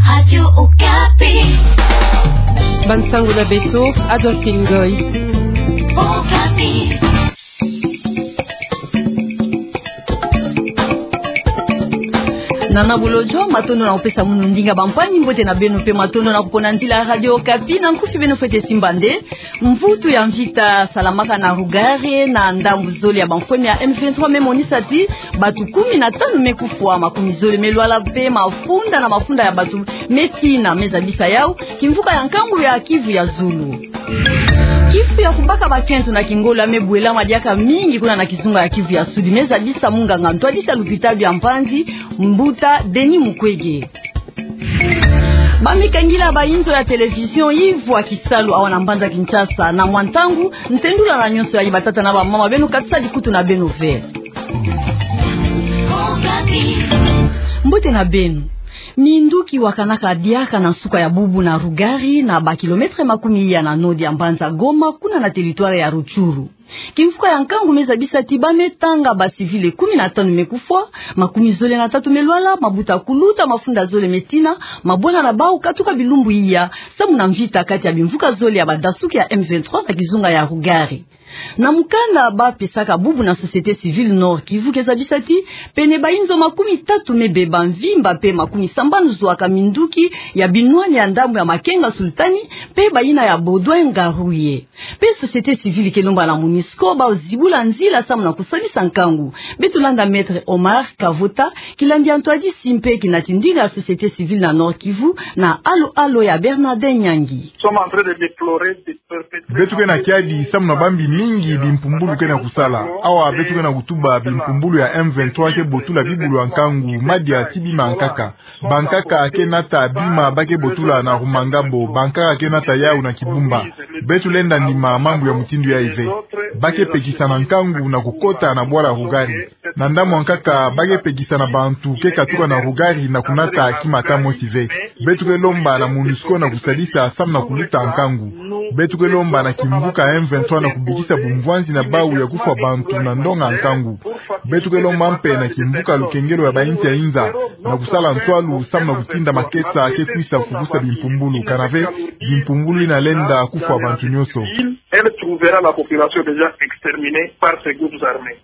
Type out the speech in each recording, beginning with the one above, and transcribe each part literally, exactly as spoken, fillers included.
Radio Okapi. Bansango na beto, Adolphine Ngoy. Okapi. Nana Bolojo, matondo na kupesa munu ndinga bampangi, mbote na beno mpe matondo na kupona nzila ya Radio Okapi. Na nkufi beno fwete simba nde mvutu ya mvita salamaka na Rougari na ndambu zole ya bamfweme ya M vingt-trois me monisa ti bato kumi na tanu me kufwa, makumi zole me lwala mpe mafunda na mafunda ya bato me tina. Me zabisa yau kimvuka ya nkangu ya Kivu ya zulu. Kifu ya kubaka bakento na kingolo ya me bwelama diaka mingi kuna na kizunga ya Kivu ya Sud. Me zabisa munganga ntwadisi ya lupitalu ya mpanzi, mbuta Denis Mukwege. Ba me kangila bainzo ya télévision Yves wa Kisalu awa na mbanza Kinshasa. Na mwa ntangu, ntendula na nyonso ya batata na bamama, beno katisa bikutu na beno ve. Mbote na beno. Minduki wakanaka diaka na nsuka ya bubu na Rougari, na ba kilomètre makumi ya na nord ya mbanza Goma, kuna na territoire ya Rutshuru. Kimvuka ya nkangu me zabisa ti ba me tanga ba civil kumi na tanu me kufwa, makumi zole na tatu me lwala, mabuta kuluta mafunda zole me tina, mabwana na bau katuka bilumbu iya, samu na mvita kati ya bimvuka zole ya badasuki ya M vingt-trois na kizunga ya Rougari. Na mukanda ba pesaka bubu na société civile Nord-Kivu ke zabisa ti pene bainzo makumi tatu me beba mvimba mpe makumi sambanu zwaka minduki ya binwani ya ndambu ya Makenga Sultani mpe bayina ya Baudouin Ngaruye. Mpe société civile ke lomba na MONUSCO bau zibula nzila samu na kusalisa nkangu. Beto landa Maître Omar Kavota, kilambi ya ntwadisi mpe kinatindinga ya société civile na Nord-Kivu, na alo-alo ya Bernardin Nyangi. Nous sommes en train de déplorer des perpétuels. Beto ke na kiadi samu na bambi mingi bimpumbulu ke na kusala. Awa beto ke na kutuba bimpumbulu ya M vingt-trois ke botula bibulu ya nkangu, madia ti bima nkaka. Bankaka ke nata bima ba ke botula na Rumangabo, bankaka ke nata yau na Kibumba. Beto lenda ndima mambu ya mutindu yayi ve. Ba ke pekisa na nkangu na kukota na bwala Rougari. Na ndambu ya nkaka, ba ke pekisa na bantu ke katuka na Rougari na kunata kimata mosi ve. Beto ke lomba na MONUSCO na kusalisa samu na kuluta nkangu. Beto ke lomba na kimvuka M vingt-trois na kubikisa bumvwanzi na bau ya kufwa bantu na ndonga nkangu. Beto ke lomba mpe na kimvuka lukengelo ya bainsi ya inza na kusala ntwalu samu na kutinda makesa ke kwisa fukusa bimpumbulu. Kana ve, bimpumbulu yina lenda kufwa bantu nyonso. Elle trouvera la population déjà exterminée par ces groupes armés.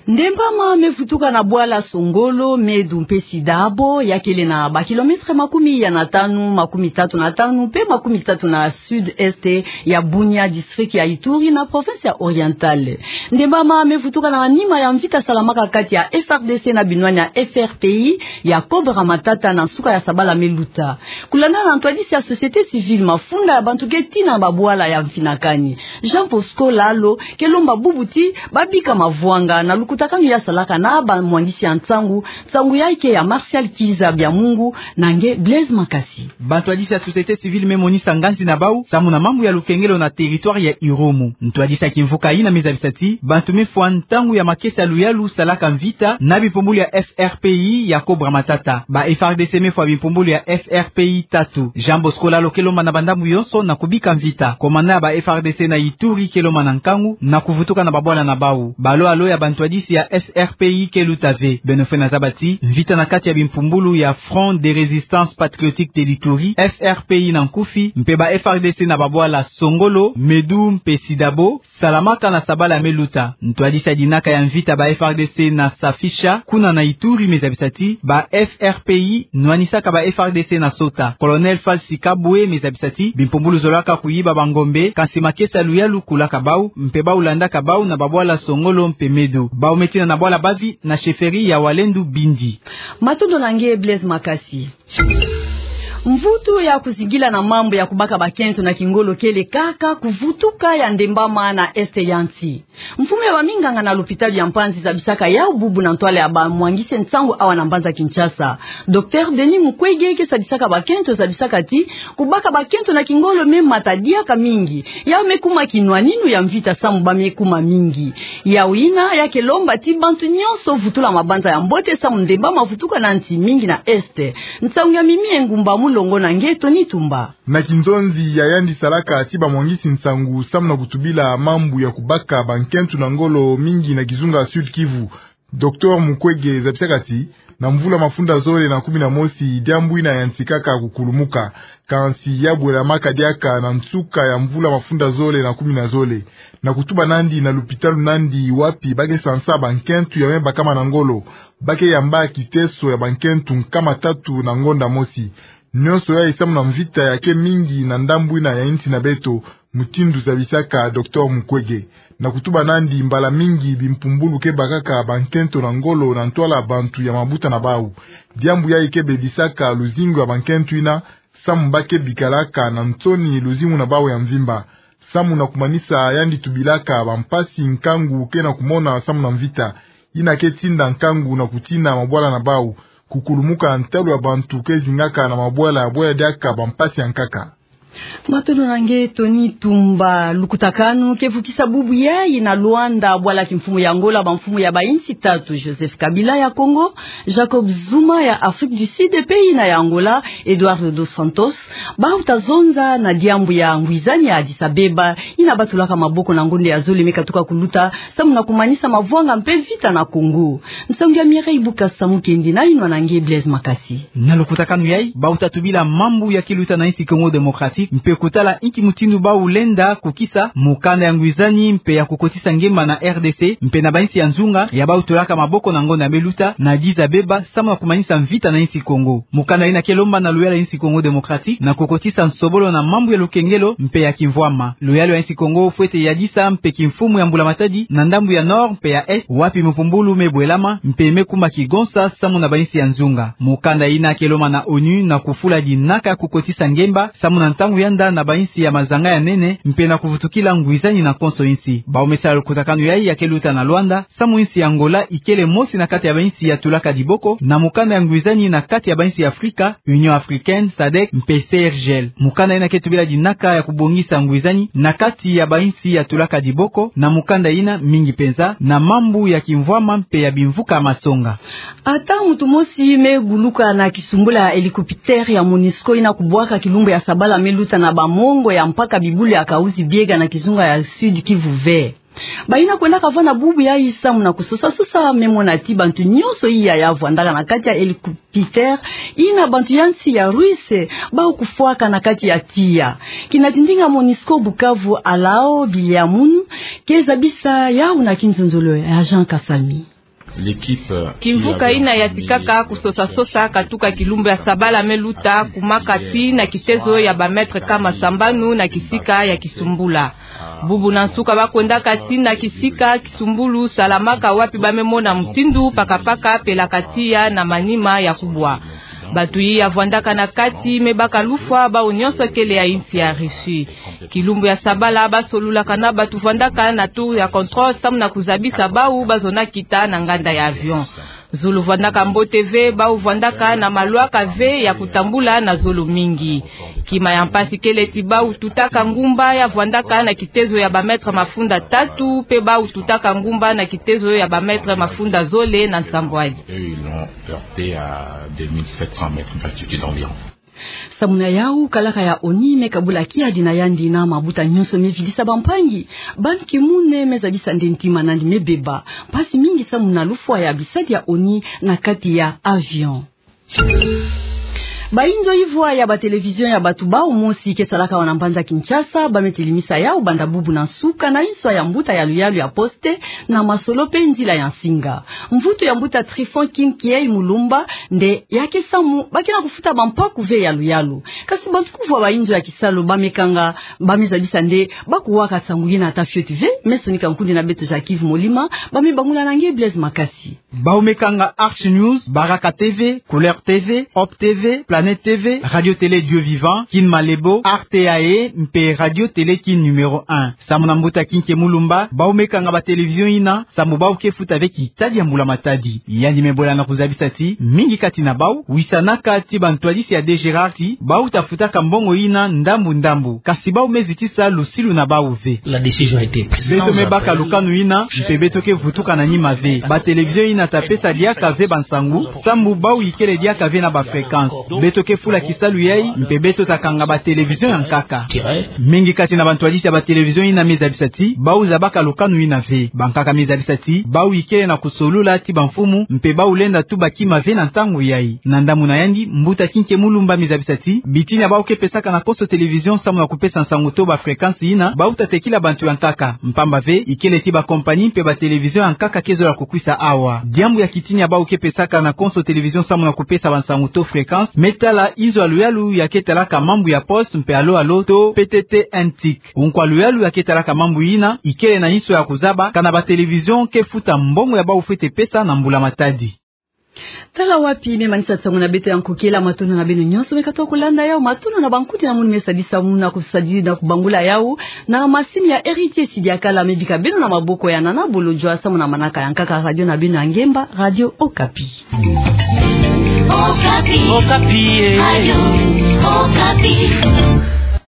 Ndembama me vutuka na bwala Songolo, Medu mpe Sidabo, ya kele na ba kilomètre makumi ya na tanu, makumi tatu na tanu, mpe makumi tatu na sud-est ya Bunia, district ya Ituri, na province ya Oriental. Ndembama me vutuka na nima ya mvita salamaka kati ya F R D C na binwani ya F R P I ya Cobra Matata na nsuka ya sabala me luta. Kulanda na ntwadisi ya société civile, mafunda ya bantu ke tina na babwala ya mfinakani. Jean Bosco Lalo ke lomba bubu ti ba bika mavwanga na lukutakanu ya salaka na bamwangisi ya nsangu. Nsangu yayi ke ya Martial Kiza Biamungu na nge Blaise Makasi. Bantwadisi ya société civile me monisa nganzi na bau samu na mambu ya lukengelo na territoire ya Irumu. Ntwadisi ya kimvuka yina me zabisa ti bantu me fwa ntangu ya makesa ya luyalu salaka mvita na bimpumbulu ya F R P I ya Cobra Matata. Ba F R D C me fwa bimpumbulu ya F R P I tatu. Jean Bosco Lalo ke lomba na bandambu yonso na kubika mvita. Komanda ya ba F R D C na Ituri ke lomba na nkangu na kuvutuka na babwala na bau. Balo-alo ya bantwadisi ya F R P I ke luta ve. Beno fwe na zaba ti mvita na kati ya bimpumbulu ya Front de Résistance Patriotique de l'Ituri, F R P I na nkufi, mpe ba F R D C na babwala Songolo, Medu mpe Sidabo salamaka na sabala me luta. Ntwadisi ya dinaka ya mvita ba F R D C na Safisha, kuna na Ituri, me zabisa ti ba F R P I nwanisaka ba F R D C na sota. Colonel Falsi Kabwe me zabisa ti bimpumbulu zolaka kuyiba bangombe, kansi makesa ya luyalu kulaka bau, mpe bau landaka bau na babwala Songolo mpe Medu. Bau me tina na bwala Bavi na chefferie ya Walendu Bindi. Matondo na nge Blaise Makasi. Mvutu ya kuzingila na mambu ya kubaka bakento na kingolo kele kaka kuvutuka ya ndembama na est ya nsi. Mfumu ya baminganga na lopitalo ya Mpanzi zabisaka yau bubu na ntwala ya bamwangisi nsangu awa na mbanza Kinshasa. Docteur Denis Mukwege ke sadisaka bakento zabisaka ti kubaka bakento na kingolo me mata diaka mingi. Yau me kuma kinwaninu ya mvita samu ba me kuma mingi. Yau yina ya ke lomba ti bantu nyonso vutula mabanza ya mbote samu ndembama vutuka na nsi mingi na est. Nsangu ya Mimi Engumba Mulongo na nge Tony Tumba. Na kinzonzi ya yandi salaka ti bamwangisi nsangu samu na kutubila mambu ya kubaka bankento na ngolo mingi na kizunga Sud-Kivu, Docteur Mukwege zabisaka ti na mvula mafunda zole na kumi na mosi, diambu ina yantikaka kukulumuka. Kansi ya bwelamaka diaka na nsuka ya mvula mafunda zole na kumi na zole. Na kutuba nandi na lupitalu nandi wapi ba ke sansa bankento ya me bakama na ngolo, ba ke yamba kiteso ya bankento nkama tatu na ngonda mosi. Nyonso yayi samu na mvita ya ke mingi na ndambu ina ya insi na beto, mutindu zabisaka Docteur Mukwege. Na kutuba nandi, mbala mingi bimpumbulu ke bakaka bankento na ngolo na ntwala bantu ya mabuta na bau. Diambu yayi ke bebisaka luzingu ya bankento ina, samu ba ke bikalaka na nsoni luzingu na bau ya mvimba. Samu na kumanisa yandi tubilaka bampasi nkangu ke na kumona samu na mvita ina ke tinda nkangu na kutina mabwala na bau. Kukulumuka ntalu ya bantu ke zingaka na mabwala, bwela diaka bampasi ya nkaka. Matondo na nge Tony Tumba. Lukutakanu ke vukisa bubu yayi na Luanda, bwala kimfumu ya Angola, bamfumu ya bainsi tatu, Joseph Kabila ya Congo, Jacob Zuma ya Afrique du Sud, pe ina ya Angola, Eduardo dos Santos, bau ta zonza na diambu ya ngwizani ya Addis Abeba, ina ba tulaka maboko na ngonda ya zole me katuka kuluta, samu na kumanisa mavwanga mpe vita na Congo. Nsangu ya Mireille Bukasa Mukendi na yinwa na nge Blaise Makasi. Na lukutakanu yayi, bau ta tubila mambu ya kiluta na insi Congo Démocratique, mpe kutala inki mutindu bau lenda kukisa mukanda ya ngwizani mpe ya kukotisa ngemba na R D C, mpe na bainsi ya nzunga, ya bau tulaka maboko na ngonda me luta na Addis Abeba, samu na kumanisa mvita na insi Congo. Mukanda ina ke lomba na luyalu ya insi Congo Démocratique na kukotisa nsobolo na mambu ya lukengelo mpe ya kimvwama. Luyalu ya insi Congo fwete yadisa mpe kimfumu ya mbula matadi na ndambu ya Nord mpe ya Est, wapi mpumbulu me bwelama mpe me kuma kigonsa samu na bainsi ya nzunga. Mukanda ina ke lomba na ONU na kufula dinaka ya kukotisa ngemba, samu na ntangu yanda na bainsi ya mazanga ya nene, mpe na kuvutukila ngwizani na konso insi. Bau me sala lukutakanu yayi ya ke luta na Luanda, samu insi ya Angola ikele mosi na kati ya bainsi ya tulaka diboko na mukanda ya ngwizani na kati ya bainsi ya Afrika, Union Africaine, sadec, mpe C R G L. Mukanda ina ke tubila dinaka ya kubongisa ngwizani na kati ya bainsi ya tulaka diboko, na mukanda ina mingi penza na mambu ya kimvwama mpe ya bimvuka masonga. Ata muntu mosi me guluka na kisumbula ya hélicoptère ya MONUSCO ina kubwaka kilumbu ya sabala me luta na bamongo ya mpaka bibulu ya Kahuzi-Biega na kizunga ya Sud-Kivu ve. Bayina kwendaka vwanda bubu yayi samu na kusosa-sosa me mona ti bantu nyonso iya ya vwandaka na kati ya hélicoptère ina bantu ya nsi ya Russe bau kufwaka na kati ya tiya. Kina tindinga MONUSCO Bukavu, Alao Biliamunu, ke zabisa yau na kinzonzolo ya Jean Kasami. Kimvuka ina yatikaka kusosa-sosa katuka kilumbu ya sabala me luta kumaka ti na kitezo ya ba mètre kama sambanu na kisika ya kisumbula. Bubu na nsuka ba kwendaka ti na kisika kisumbulu salamaka wapi ba me mona mutindu paka-paka pelaka tiya na manima ya kubwa. Bantu yi ya vwandaka na kati me baka lufwa, bau nyonso kele ya insi ya Russie. Kilumbu ya sabala ba solulaka na bantu vwandaka na tour ya contrôle samu na kuzabisa bau ba zona kita na nganda ya avion. Zulu vwandaka mbote ve, bau vwandaka na malwaka ve ya kutambula na zolo mingi. Kima ya mpasi kele ti bau tutaka ngumba ya vwandaka na kitezo ya ba mètre mafunda tatu, pe bau tutaka ngumba na kitezo ya ba mètre mafunda zole na nsambwadi. Eux, ils l'ont heurté à deux mille sept cents mètres d'altitude environ. Samu na yau, kalaka ya ONU me kabula kiadi na yandi na mabuta nyonso me vidisa bampangi. Ban Ki-moon me zabisa nde ntima nandi me beba. Mpasi mingi samu na lufwa ya bisadi ya ONU na kati ya avion. Bayinzo ivwa ya ba télévision ya bantu bau mosi ke salaka awa na mbanza Kinshasa, ba me telemisa yau banda bubu na nsuka na inswa ya mbuta ya luyalu ya poste na masolo pe nzila ya nsinga. Mvutu ya mbuta Tryphon King Kiei Mulumba nde ya ke samu, ba ke na kufuta bampaku ve ya luyalu. Kasi bantu kuvwa bayinzo ya kisalu ba me kanga, ba me zabisa nde ba kuwaka nsangu yina ata fioti ve. Me sonika nkundi na beto Jacques Yves Molima, ba me bangula na nge Blaise Makasi. Bau me kanga Arch News, Baraka TV, Couleur TV, Hope TV, Planète TV, Radio Télé Dieu Vivant, Kin Malebo, R T A E, mpe Radio Télé Kin numéro un. Samu na mbuta King Kiei Mulumba, bau me kanga ba télévision yina, samu bau ke futa ve kitadi ya mbula matadi. Yandi me bola na kuzabisa ti mingi kati na bau wisanaka ti bantwadisi ya D G R R ti bau ta futaka mbongo yina ndambu-ndambu. Kasi bau me zitisa lusilu na bau ve. La décision a été prise. Beto me baka lukanu yina, mpe beto ke vutuka na nima ve. Ba télévision yina ta pesa diaka ve bansangu, samu bau ikele diaka ve na ba fréquence. Beto ke fula kisalu yai, mpe beto ta kanga ba télévision ya nkaka. Mingi kati na bantwadisi ya ba télévision yina me zabisa ti, bau zabaka lukanu yina ve. Bankaka me zabisa ti, bau ikele na kusolula ti bamfumu, mpe bau lenda tuba kima ve na ntangu yai. Na ndambu na yandi, mbuta Kinke Mulumba me zabisa ti, bitini ya bau ke pesaka na konso télévision samu na kupesa nsangu to ba fréquence yina, bau ta tekila bantu ya nkaka. Mpamba ve, ikele ti ba compagnie mpe ba télévision ya nkaka ke zola kukwisa awa. Diambu ya kitini ya bau ke pesaka na konso télévision samu na kupesa bansangu to fréquence, me tala inzo ya luyalu ya ke talaka mambu ya Poste mpe Allo Allo to P T T N T I C. Unkwa luyalu ya ke talaka mambu yina, ikele na inso ya kuzaba, kana ba télévision ke futa mbongo ya bau fwete pesa na mbula matadi. Tala wapi me manisa nsangu na beto ya nkokela. Matondo na beno nyonso me katuka kulanda yau, matondo na bankuti na munu me sadisa munu na kusadisa na kubangula yau, na masini ya Héritier Sidiakala me bika beno na maboko ya Nana Bolodjwa samu na manaka ya nkaka radio na beno ya ngemba, Radio Okapi. Okapi. Okapi, eh. Radio Okapi.